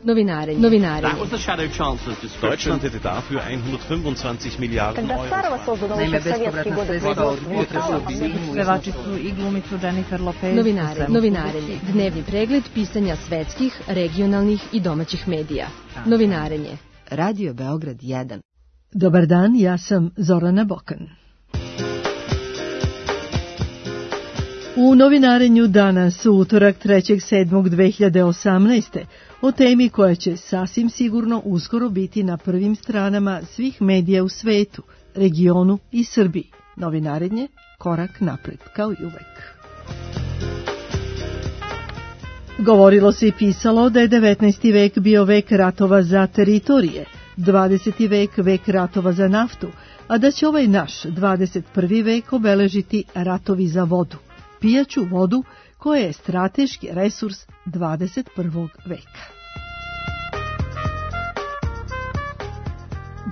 Novinare. Deutschland hätte dafür 125 Miliarden Euro. Naime, bespovratna sredstva od pevačicu i glumicu Jennifer Lopez. Novinarenje. Dnevni pregled pisanja svetskih, regionalnih i domaćih medija. Novinarenje. Radio Beograd 1. Dobar dan, ja sam Zorana Bokan. U novinarenju danas, u utorak 3.7.2018. o temi koja će sasvim sigurno uskoro biti na prvim stranama svih medija u svetu, regionu i Srbiji. Novinarenje, korak napred, kao i uvek. Govorilo se i pisalo da je 19. vek bio vek ratova za teritorije, 20. vek vek ratova za naftu, a da će ovaj naš 21. vek obeležiti ratovi za vodu, pijaću vodu koja je strateški resurs 21. veka.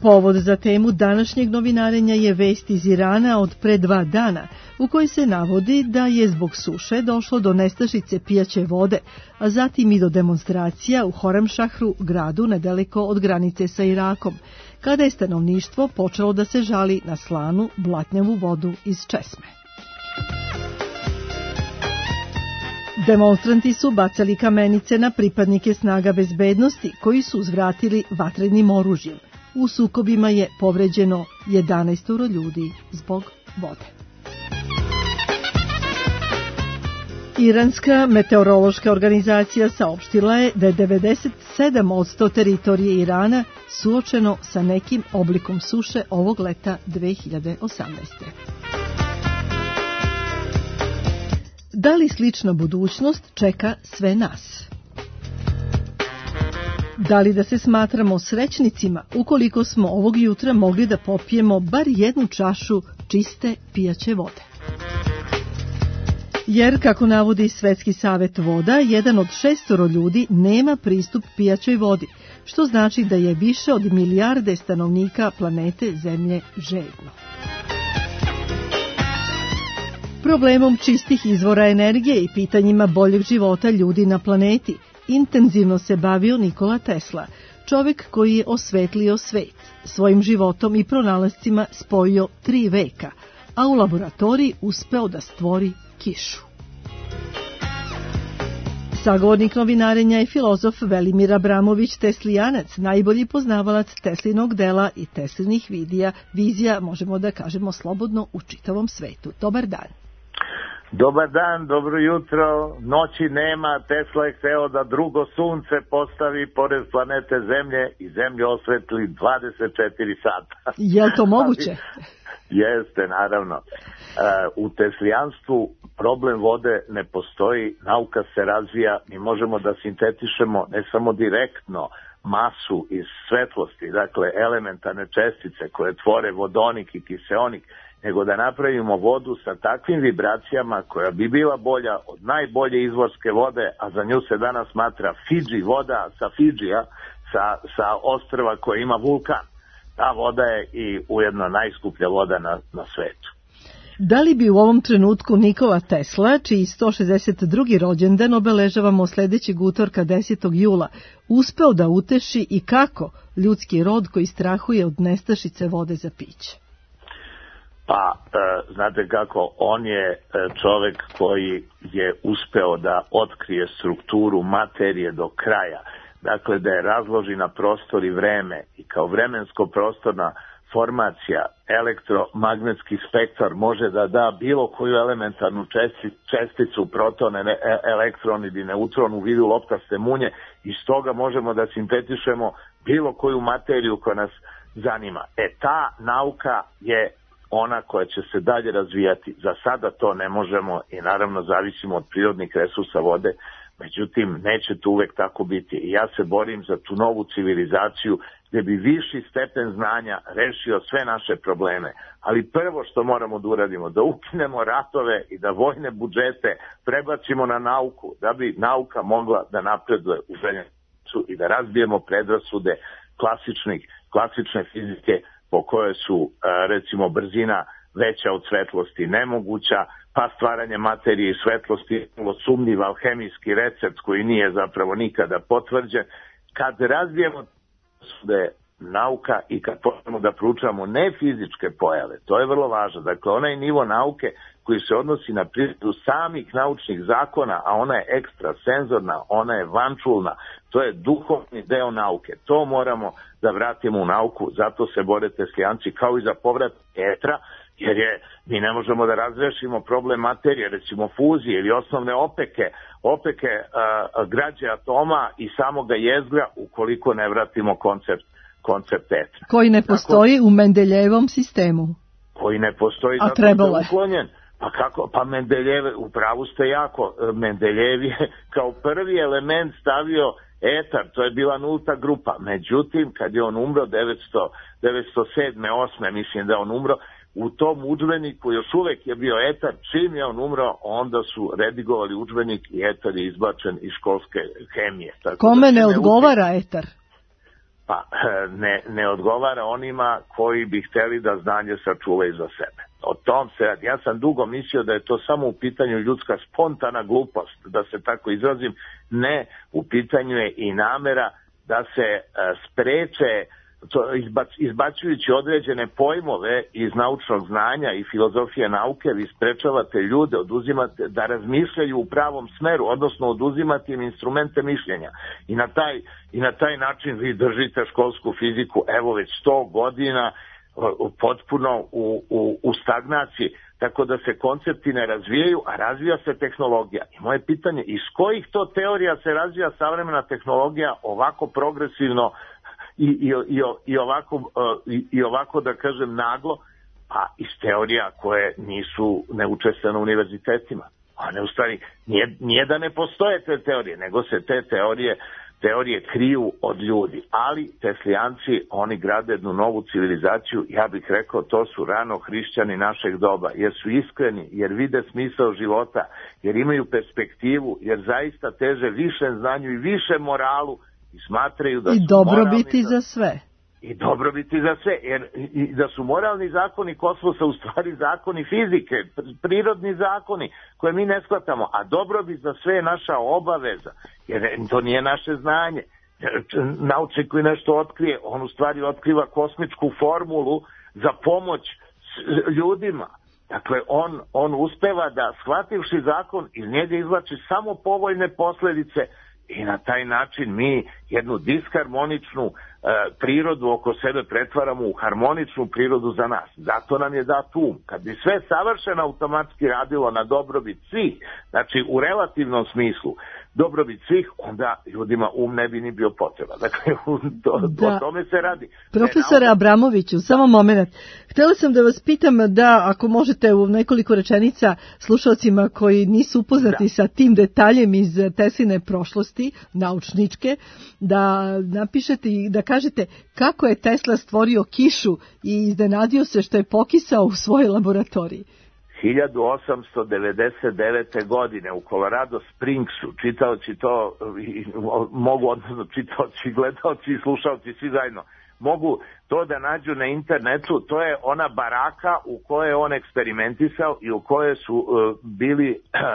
Povod za temu današnjeg novinarenja je vest iz Irana od pre 2 dana, u kojoj se navodi da je zbog suše došlo do nestašice pijaće vode, a zatim i do demonstracija u Horamšahru, gradu nedaleko od granice sa Irakom, kada je stanovništvo počelo da se žali na slanu, blatnjavu vodu iz česme. Demonstranti su bacali kamenice na pripadnike snaga bezbednosti, koji su uzvratili vatrenim oružjem. U sukobima je povređeno 11 ljudi zbog vode. Iranska meteorološka organizacija saopštila je da je 97% teritorije Irana suočeno sa nekim oblikom suše ovog leta 2018. Da li slična budućnost čeka sve nas? Da li da se smatramo srećnicima ukoliko smo ovog jutra mogli da popijemo bar jednu čašu čiste pijaće vode? Jer, kako navodi Svetski savet voda, 1 od 6 ljudi nema pristup pijaćoj vodi, što znači da je više od milijarde stanovnika planete Zemlje žedno. Problemom čistih izvora energije i pitanjima boljeg života ljudi na planeti intenzivno se bavio Nikola Tesla, čovek koji je osvetlio svet, svojim životom i pronalascima spojio 3 veka, a u laboratoriji uspeo da stvori kišu. Sagovornik novinarenja je filozof Velimir Abramović Teslijanac, najbolji poznavalac Teslinog dela i Teslinih vizija, možemo da kažemo slobodno, u čitavom svetu. Dobar dan. Dobar dan, dobro jutro. Noći nema, Tesla je hteo da drugo sunce postavi pored planete Zemlje i Zemlju osvetli 24 sata. Je li to moguće? Jeste, naravno. U teslijanstvu problem vode ne postoji, nauka se razvija, mi možemo da sintetišemo ne samo direktno masu iz svetlosti, dakle elementarne čestice koje tvore vodonik i kiseonik, nego da napravimo vodu sa takvim vibracijama koja bi bila bolja od najbolje izvorske vode, a za nju se danas smatra Fidži voda sa Fidžija, sa ostrva koja ima vulkan. Ta voda je i ujedno najskuplja voda na svetu. Da li bi u ovom trenutku Nikola Tesla, čiji 162. rođendan obeležavamo sledećeg utorka 10. jula, uspeo da uteši i kako ljudski rod koji strahuje od nestašice vode za piće? Pa, znate kako, on je čovek koji je uspeo da otkrije strukturu materije do kraja. Dakle, da je razloži na prostor i vreme i kao vremensko-prostorna formacija, elektromagnetski spektar može da da bilo koju elementarnu česticu, proton, elektron ili neutron u vidu loptaste munje i stoga možemo da sintetišemo bilo koju materiju koja nas zanima. Ta nauka je ona koja će se dalje razvijati. Za sada to ne možemo i naravno zavisimo od prirodnih resursa vode, međutim neće to uvek tako biti. I ja se borim za tu novu civilizaciju gdje bi viši stepen znanja rešio sve naše probleme. Ali prvo što moramo da uradimo, da ukinemo ratove i da vojne budžete prebacimo na nauku, da bi nauka mogla da napreduje u željencu i da razbijemo predrasude klasične fizike po kojoj su, recimo, brzina veća od svetlosti nemoguća, pa stvaranje materije i svetlosti je sumnjiv alhemijski recept koji nije zapravo nikada potvrđen kad razvijemo nauka i kad počnemo da proučavamo ne fizičke pojave, to je vrlo važno. Dakle, onaj nivo nauke koji se odnosi na prirodu samih naučnih zakona, a ona je ekstrasenzorna, ona je vančulna, to je duhovni deo nauke. To moramo da vratimo u nauku, zato se bore teslijanci, kao i za povrat etra, jer mi ne možemo da razrešimo problem materije, recimo fuzije ili osnovne opeke građe atoma i samoga jezgra ukoliko ne vratimo koncept etra. Koji ne postoji u Mendeljevom sistemu. Koji ne postoji, zato je uklonjen. Pa kako? Pa Mendeljev, u pravu ste jako, Mendeljev je kao prvi element stavio etar, to je bila nulta grupa. Međutim, kad je on umro, 907. 8. mislim da je on umro, u tom udžbeniku još uvek je bio etar, čim je on umro, onda su redigovali udžbenik i etar je izbačen iz školske hemije. Tako kome ne odgovara etar? Pa ne odgovara onima koji bi hteli da znanje sačuvaju za sebe. O tom se radi. Ja sam dugo mislio da je to samo u pitanju ljudska spontana glupost, da se tako izrazim. Ne, u pitanju je i namera da se spreče, izbacujući određene pojmove iz naučnog znanja i filozofije nauke, vi sprečavate ljude, oduzimate da razmišljaju u pravom smeru, odnosno oduzimate im instrumente mišljenja. I na taj način vi držite školsku fiziku, evo već 100 godina, potpuno u stagnaciji, tako da se koncepti ne razvijaju, a razvija se tehnologija. I moje pitanje, iz kojih to teorija se razvija savremena tehnologija ovako progresivno i ovako da kažem naglo, a iz teorija koje nisu neučestvene na univerzitetima. A ne, u stvari, nije da ne postoje te teorije, nego se te teorije kriju od ljudi. Ali teslijanci, oni grade jednu novu civilizaciju, ja bih rekao, to su rano hrišćani našeg doba, jer su iskreni, jer vide smisao života, jer imaju perspektivu, jer zaista teže više znanju i više moralu, i smatraju da i dobrobiti za sve. I dobrobiti za sve, jer i da su moralni zakoni kosmosa u stvari zakoni fizike, prirodni zakoni koje mi ne shvatamo, a dobrobit za sve je naša obaveza, jer to nije naše znanje. Naučnik koji nešto otkrije, on u stvari otkriva kosmičku formulu za pomoć ljudima. Dakle, on uspeva da, shvativši zakon, iz njega izvlači samo povoljne posledice. I na taj način mi jednu disharmoničnu prirodu oko sebe pretvaramo u harmoničnu prirodu za nas. Zato nam je dat um. Kad bi sve savršeno automatski radilo na dobrobit svih, znači u relativnom smislu dobrobit svih, onda ljudima ne bi ni bio potreba. Dakle, o tome se radi. Profesore Abramoviću, samo moment. Htjela sam da vas pitam da, ako možete u nekoliko rečenica slušalcima koji nisu upoznati sa tim detaljem iz Tesline prošlosti, naučničke, da napišete i da kažete kako je Tesla stvorio kišu i iznenadio se što je pokisao u svojoj laboratoriji. 1899. godine u Colorado Springsu, čitaoci to mogu, odnosno čitaoci, gledaoci i slušaoci, svi zajedno, mogu to da nađu na internetu. To je ona baraka u kojoj je on eksperimentisao i u kojoj su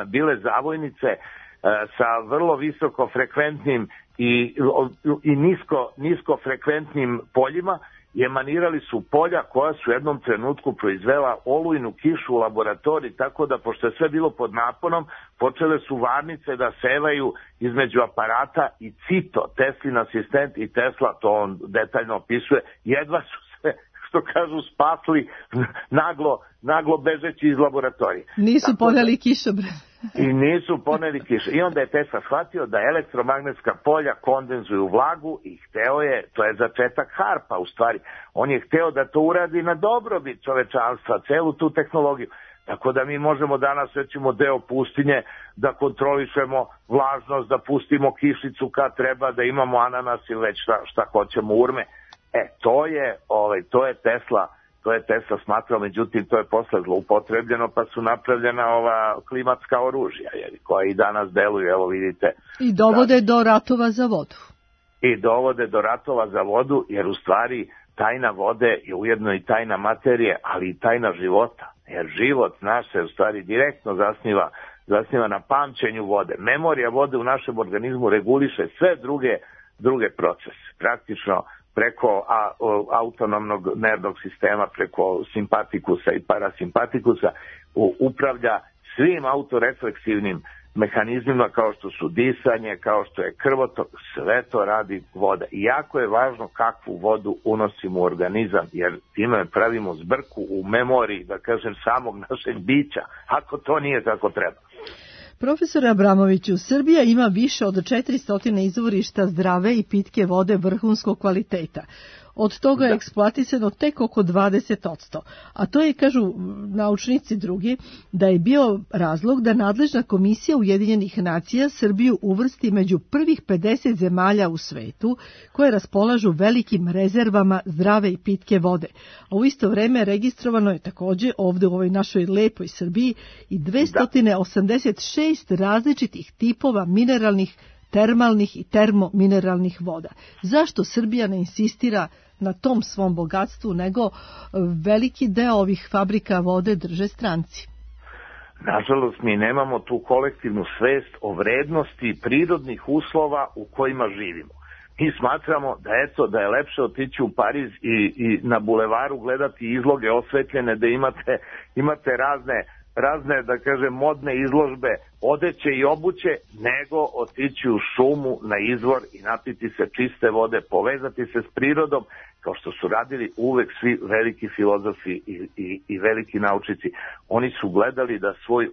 bile zavojnice sa vrlo visokofrekventnim i niskofrekventnim poljima, i emanirali su polja koja su u jednom trenutku proizvela olujnu kišu u laboratoriji, tako da, pošto je sve bilo pod naponom, počele su varnice da sevaju između aparata i Cito, Teslin asistent i Tesla, to on detaljno opisuje, jedva su se, što kažu, spasli naglo bežeći iz laboratorije. Nisu poneli kišobran. I nisu poneli kiše. I onda je Tesla shvatio da elektromagnetska polja kondenzuju vlagu i hteo je, to je začetak harpa u stvari, on je hteo da to uradi na dobrobit čovečanstva, celu tu tehnologiju. Tako da mi možemo danas, recimo, deo pustinje da kontrolišemo vlažnost, da pustimo kišicu kad treba, da imamo ananas ili već šta hoćemo, urme. To je Tesla smatrao, međutim to je posle zloupotrebljeno, pa su napravljena ova klimatska oružja, koja i danas deluju, evo vidite. I dovode do ratova za vodu. I dovode do ratova za vodu, jer u stvari tajna vode je ujedno i tajna materije, ali i tajna života. Jer život naš se u stvari direktno zasniva na pamćenju vode. Memorija vode u našem organizmu reguliše sve druge druge procese. Praktično preko autonomnog nervnog sistema, preko simpatikusa i parasimpatikusa upravlja svim autorefleksivnim mehanizmima kao što su disanje, kao što je krvotok, sve to radi voda. I jako je važno kakvu vodu unosimo u organizam, jer time pravimo zbrku u memoriji, da kažem, samog našeg bića, ako to nije kako treba. Profesore Abramoviću, Srbija ima više od 400 izvorišta zdrave i pitke vode vrhunskog kvaliteta. Od toga je eksploatisano tek oko 20%. A to je, kažu naučnici drugi, da je bio razlog da nadležna komisija Ujedinjenih nacija Srbiju uvrsti među prvih 50 zemalja u svetu koje raspolažu velikim rezervama zdrave i pitke vode. A u isto vreme registrovano je takođe ovde u ovoj našoj lepoj Srbiji i 286 različitih tipova mineralnih, termalnih i termomineralnih voda. Zašto Srbija ne insistira na tom svom bogatstvu, nego veliki deo ovih fabrika vode drže stranci? Nažalost, mi nemamo tu kolektivnu svest o vrednosti prirodnih uslova u kojima živimo. Mi smatramo da je lepše otići u Pariz i na bulevaru gledati izloge osvetljene, da imate razne, da kažem, modne izložbe odeće i obuće, nego otići u šumu na izvor i napiti se čiste vode, povezati se s prirodom, kao što su radili uvek svi veliki filozofi i veliki naučnici. Oni su gledali da svoj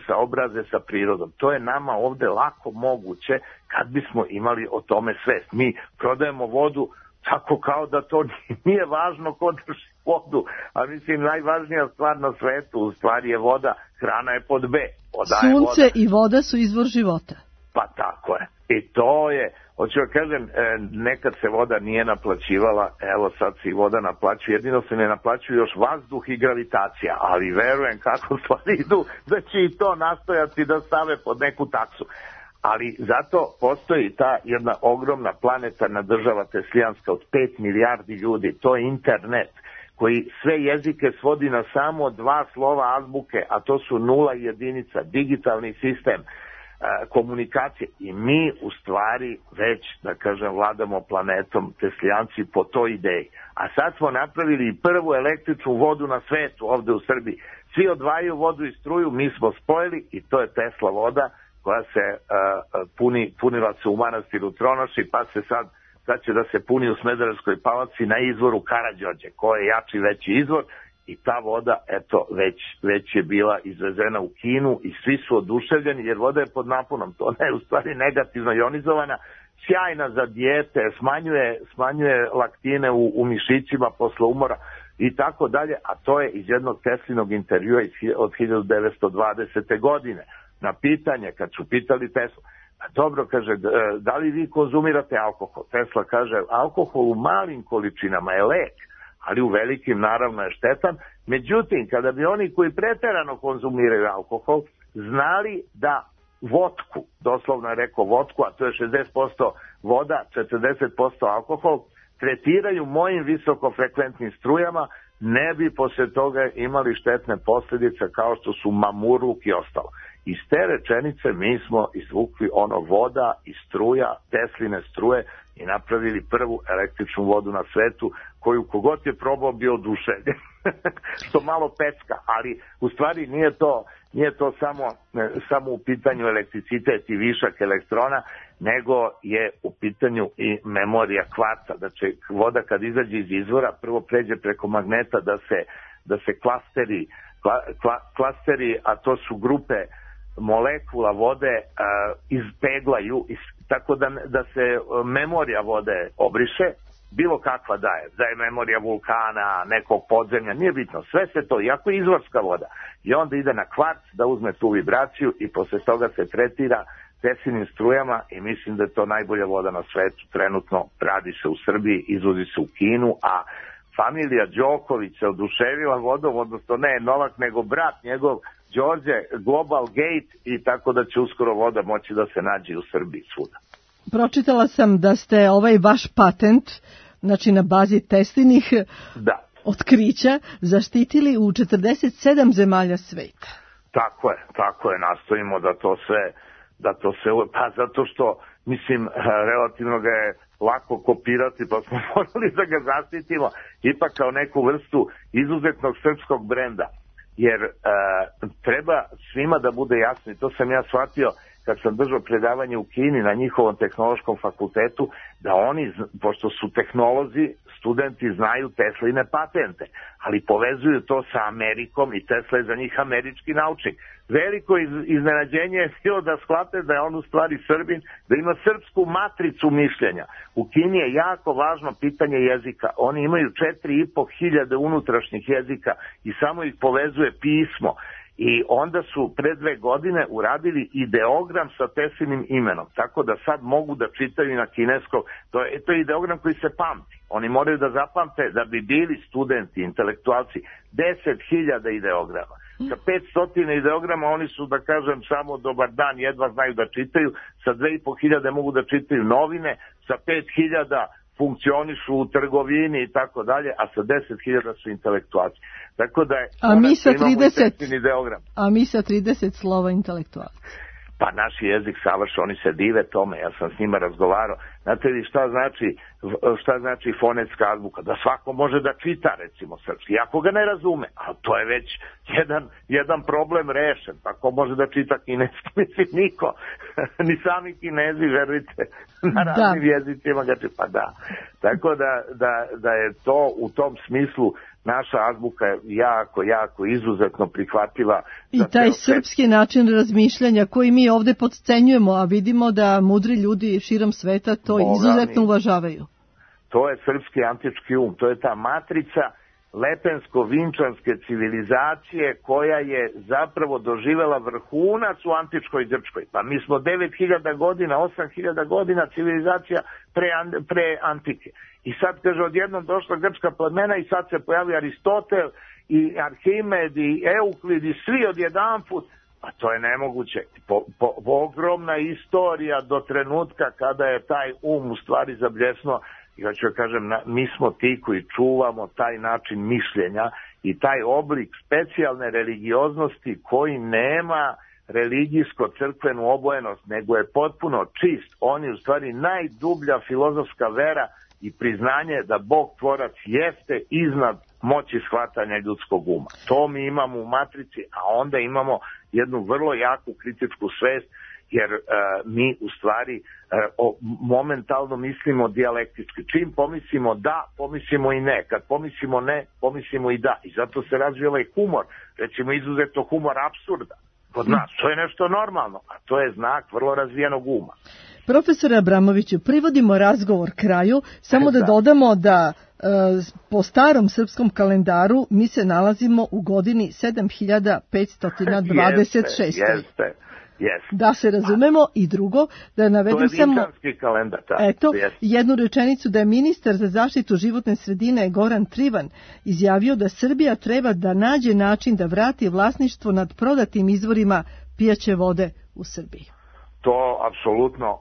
saobraze sa prirodom. To je nama ovde lako moguće kad bismo imali o tome svest. Mi prodajemo vodu tako kao da to nije važno ko drži vodu, a mislim najvažnija stvar na svetu u stvari je voda, hrana je pod B. Sunce i voda su izvor života. Pa tako je. I to je, hoću da kažem, nekad se voda nije naplaćivala, evo sad se i voda naplaćuje, jedino se ne naplaćuje još vazduh i gravitacija, ali verujem kako stvari idu da će i to nastojati da stave pod neku taksu. Ali zato postoji ta jedna ogromna planetarna država teslijanska od 5 milijardi ljudi, to je internet, koji sve jezike svodi na samo 2 slova azbuke, a to su 0 i 1, digitalni sistem komunikacije. I mi u stvari već, da kažem, vladamo planetom teslijanci po toj ideji. A sad smo napravili i prvu električnu vodu na svetu ovde u Srbiji. Svi odvajaju vodu i struju, mi smo spojili i to je Tesla voda, koja se punila se u manastiru Tronoši, pa se sad će da se puni u Smederevskoj Palanci na izvoru Karađorđe, koji je jači veći izvor, i ta voda, eto, već je bila izvezena u Kinu i svi su oduševljeni jer voda je pod naponom, to ne je u stvari negativno ionizovana, sjajna za dijete, smanjuje laktine u mišićima posle umora i tako dalje, a to je iz jednog Teslinog intervjua od 1920. godine. Na pitanje, kad su pitali Tesla, dobro, kaže, da li vi konzumirate alkohol? Tesla kaže, alkohol u malim količinama je lek, ali u velikim naravno je štetan. Međutim, kada bi oni koji preterano konzumiraju alkohol znali da vodku, doslovno je rekao vodku, a to je 60% voda, 40% alkohol, tretiraju mojim visokofrekventnim strujama, ne bi posle toga imali štetne posljedice kao što su mamurluk i ostalo. Iz te rečenice mi smo izvukli voda i struja, Tesline struje, i napravili prvu električnu vodu na svetu, koju kogod je probao bio oduševljen. To malo pecka, ali u stvari nije to samo u pitanju elektricitet i višak elektrona, nego je u pitanju i memorija kvarca. Znači, voda kad izađe iz izvora, prvo pređe preko magneta da se klasteri, a to su grupe molekula vode, izpeglaju, tako da se memorija vode obriše, bilo kakva da je memorija vulkana, nekog podzemlja, nije bitno, sve se to, iako je izvorska voda, i onda ide na kvarc da uzme tu vibraciju i posle toga se tretira Teslinim strujama i mislim da je to najbolja voda na svetu, trenutno radi se u Srbiji, izvozi se u Kinu, a familija Đoković se oduševila vodom, odnosno ne Novak, nego brat njegov, Đorđe, Global Gate, i tako da će uskoro voda moći da se nađe u Srbiji svuda. Pročitala sam da ste ovaj vaš patent, znači na bazi Teslinih otkrića, zaštitili u 47 zemalja sveta. Tako je, nastojimo da to sve, pa zato što, mislim, relativno ga je lako kopirati, pa smo morali da ga zaštitimo ipak kao neku vrstu izuzetnog srpskog brenda. Jer treba svima da bude jasno, i to sam ja shvatio kad sam držao predavanje u Kini na njihovom tehnološkom fakultetu, da oni, pošto su tehnolozi, studenti znaju Tesline patente, ali povezuju to sa Amerikom i Tesla je za njih američki naučnik. Veliko iznenađenje je bilo da shvate da je on u stvari Srbin, da ima srpsku matricu mišljenja. U Kini je jako važno pitanje jezika. Oni imaju 4.500 unutrašnjih jezika i samo ih povezuje pismo. I onda su pre 2 godine uradili ideogram sa Teslinim imenom, tako da sad mogu da čitaju na kineskom. To je ideogram koji se pamti. Oni moraju da zapamte da bi bili studenti, intelektualci, 10.000 ideograma. Sa 500 ideograma oni su, da kažem, samo dobar dan, jedva znaju da čitaju. Sa 2.500 mogu da čitaju novine, sa 5.000 funkcionišu u trgovini i tako dalje, a sa 10.000 su intelektualci. Tako da je, a mi sa 30 slova intelektualci. Pa naš jezik savršen, oni se dive tome, ja sam s njima razgovarao. Znate li šta znači fonetska azbuka? Da svako može da čita, recimo, srpski, ako ga ne razume, ali to je već jedan problem rešen. Pa ko može da čita kineski? Mislim, niko. Ni sami Kinezi, verujte, na raznim jezicima ga čita. Pa da. Tako da je to u tom smislu naša azbuka je jako izuzetno prihvatljiva. I taj srpski način razmišljanja koji mi ovde podcenjujemo, a vidimo da mudri ljudi širom sveta to izuzetno uvažavaju. To je srpski antički to je ta matrica lepensko-vinčanske civilizacije koja je zapravo doživela vrhunac u antičkoj Grčkoj. Pa mi smo 9.000 godina, 8.000 godina civilizacija pre antike. I sad, kaže, odjednom došla grčka plemena i sad se pojavio Aristotel i Arhimed i Euklid i svi odjedanput. A to je nemoguće. Ogromna istorija do trenutka kada je taj u stvari zabljesnuo. Ja ću kažem, mi smo ti koji čuvamo taj način mišljenja i taj oblik specijalne religioznosti koji nema religijsko-crkvenu obojenost, nego je potpuno čist. On je u stvari najdublja filozofska vera i priznanje da Bog tvorac jeste iznad moći shvatanja ljudskog uma. To mi imamo u matrici, a onda imamo jednu vrlo jaku kritičku svest, jer mi u stvari momentalno mislimo dijalektički. Čim pomislimo da, pomislimo i ne. Kad pomislimo ne, pomislimo i da. I zato se razvija ovaj humor, recimo izuzetno humor apsurda kod nas. To je nešto normalno, a to je znak vrlo razvijenog uma. Profesore Abramoviću, privodimo razgovor kraju, samo da dodamo da po starom srpskom kalendaru mi se nalazimo u godini 7526. Jeste. Da se razumemo. I drugo, da navedem samo kalendar, jednu rečenicu, da je ministar za zaštitu životne sredine Goran Trivan izjavio da Srbija treba da nađe način da vrati vlasništvo nad prodatim izvorima pijaće vode u Srbiji. To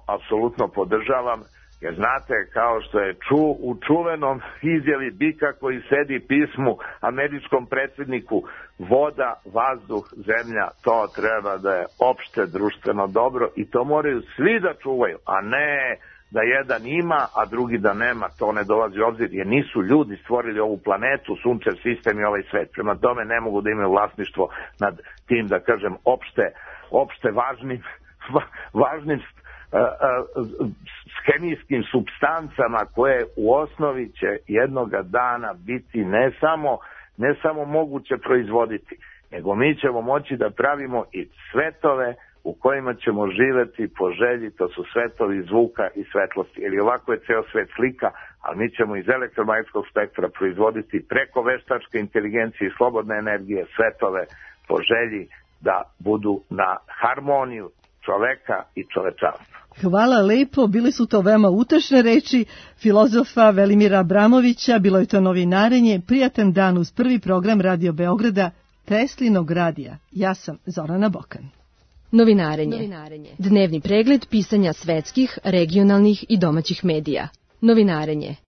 apsolutno podržavam, jer znate, kao što je u čuvenom izjavi bika koji sedi pismu američkom predsjedniku, voda, vazduh, zemlja, to treba da je opšte društveno dobro i to moraju svi da čuvaju, a ne da jedan ima, a drugi da nema. To ne dolazi u obzir, jer nisu ljudi stvorili ovu planetu, sunčev sistem i ovaj svet. Prema tome ne mogu da imaju vlasništvo nad tim, da kažem, opšte važnim hemijskim supstancama koje u osnovi će jednoga dana biti ne samo moguće proizvoditi, nego mi ćemo moći da pravimo i svetove u kojima ćemo živeti po želji, to su svetovi zvuka i svetlosti. Jer ovako je ceo svet slika, ali mi ćemo iz elektromagnetskog spektra proizvoditi preko veštačke inteligencije i slobodne energije svetove po želji da budu na harmoniju čoveka i čovečanstva. Hvala lepo, bili su to veoma utešne reči filozofa Velimira Abramovića, bilo je to novinarenje, prijatan dan uz prvi program Radio Beograda, Teslinog radija. Ja sam Zorana Bokan. Novinarenje. Dnevni pregled pisanja svetskih, regionalnih i domaćih medija. Novinarenje.